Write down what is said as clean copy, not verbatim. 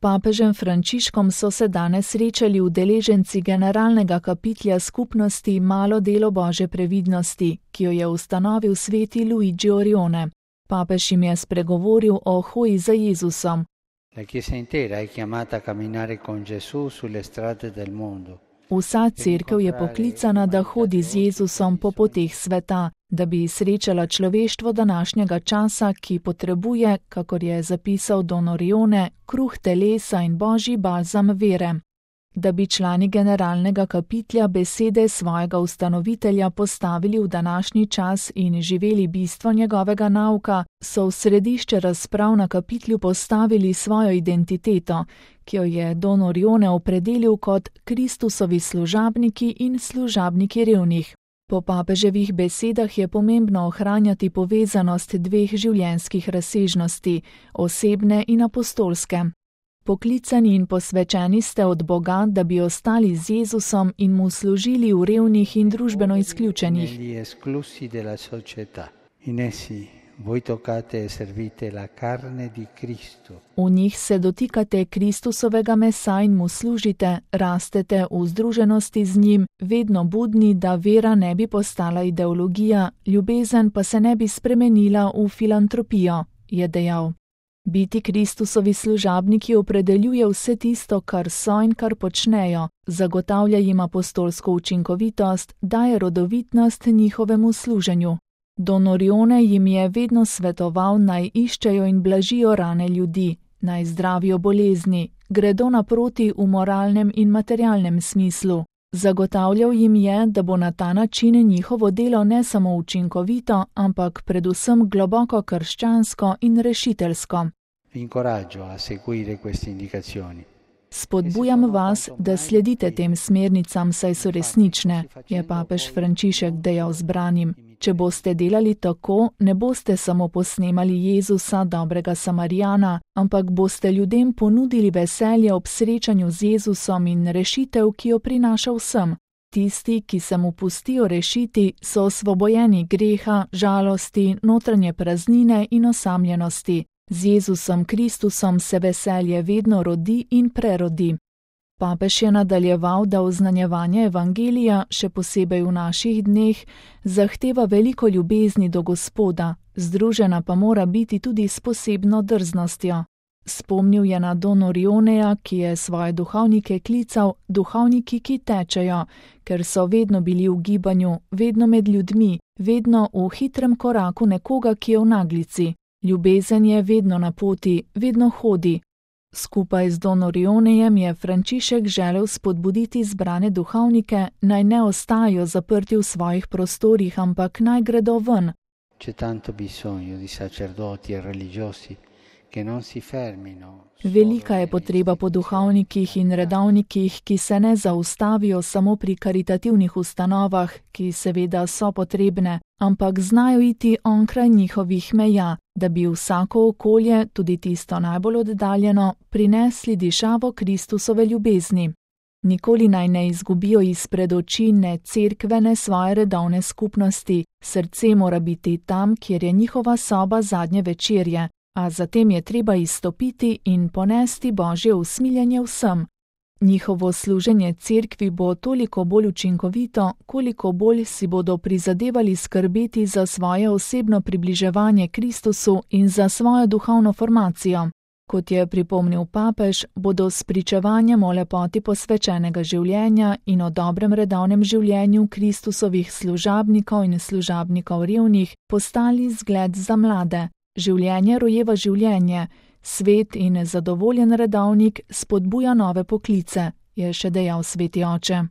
papežem Frančiškom so se danes srečali udeleženci generalnega kapitlja skupnosti Malo delo Božje previdnosti, ki jo je ustanovil sveti Luigi Orione. Papež jim je spregovoril o hoji za Jezusom. La Chiesa intera è chiamata a camminare con Gesù sulle strade del mondo. Vsa cerkev je poklicana, da hodi z Jezusom po poteh sveta, da bi srečala človeštvo današnjega časa, ki potrebuje, kakor je zapisal Don Orione, kruh telesa in božji balzam vere. Da bi člani generalnega kapitlja besede svojega ustanovitelja postavili v današnji čas in živeli bistvo njegovega nauka, so v središče razprav na kapitlju postavili svojo identiteto, ki jo je Don Orione opredelil kot Kristusovi služabniki in služabniki revnih. Po papeževih besedah je pomembno ohranjati povezanost dveh življenjskih razsežnosti, osebne in apostolske. Poklicani in posvečeni ste od Boga, da bi ostali z Jezusom in mu služili v revnih in družbeno izključenih. V njih se dotikate Kristusovega mesa in mu služite, rastete v združenosti z njim, vedno budni, da vera ne bi postala ideologija, ljubezen pa se ne bi spremenila v filantropijo, je dejal. Biti Kristusovi služabniki opredeljuje vse tisto, kar so in kar počnejo, zagotavlja jim apostolsko učinkovitost, daje rodovitnost njihovemu služenju. Don Orione jim je vedno svetoval, naj iščejo in blažijo rane ljudi, naj zdravijo bolezni, gredo naproti v moralnem in materialnem smislu. Zagotavljal jim je, da bo na ta način njihovo delo ne samo učinkovito, ampak predvsem globoko krščansko in rešiteljsko. Spodbujam vas, da sledite tem smernicam, saj so resnične, je papež Frančišek dejal zbranim. Če boste delali tako, ne boste samo posnemali Jezusa, dobrega Samarijana, ampak boste ljudem ponudili veselje ob srečanju z Jezusom in rešitev, ki jo prinaša vsem. Tisti, ki se mu pustijo rešiti, so osvobojeni greha, žalosti, notranje praznine in osamljenosti. Z Jezusom Kristusom se veselje vedno rodi in prerodi. Papež je nadaljeval, da oznanjevanje evangelija, še posebej v naših dneh, zahteva veliko ljubezni do Gospoda, združena pa mora biti tudi s posebno drznostjo. Spomnil je na Don Orioneja, ki je svoje duhovnike klical duhovniki, ki tečejo, ker so vedno bili v gibanju, vedno med ljudmi, vedno v hitrem koraku nekoga, ki je v naglici. Ljubezen je vedno na poti, vedno hodi. Skupaj z Don Orionejem je Frančišek želel spodbuditi zbrane duhovnike, naj ne ostajajo zaprti v svojih prostorih, ampak naj gredo ven. Velika je potreba po duhovnikih in redovnikih, ki se ne zaustavijo samo pri karitativnih ustanovah, ki seveda so potrebne, ampak znajo iti onkraj njihovih meja, da bi vsako okolje, tudi tisto najbolj oddaljeno, prinesli dišavo Kristusove ljubezni. Nikoli naj ne izgubijo izpred oči ne cerkve, ne svoje redovne skupnosti, srce mora biti tam, kjer je njihova soba zadnje večerje, a zatem je treba izstopiti in ponesti Božje usmiljenje vsem. Njihovo služenje cerkvi bo toliko bolj učinkovito, koliko bolj si bodo prizadevali skrbeti za svoje osebno približevanje Kristusu in za svojo duhovno formacijo. Kot je pripomnil papež, bodo s pričevanjem o lepoti posvečenega življenja in o dobrem redovnem življenju Kristusovih služabnikov in služabnikov revnih postali zgled za mlade. Življenje rojeva življenje, svet in zadovoljen redovnik spodbuja nove poklice, je še dejal sveti oče.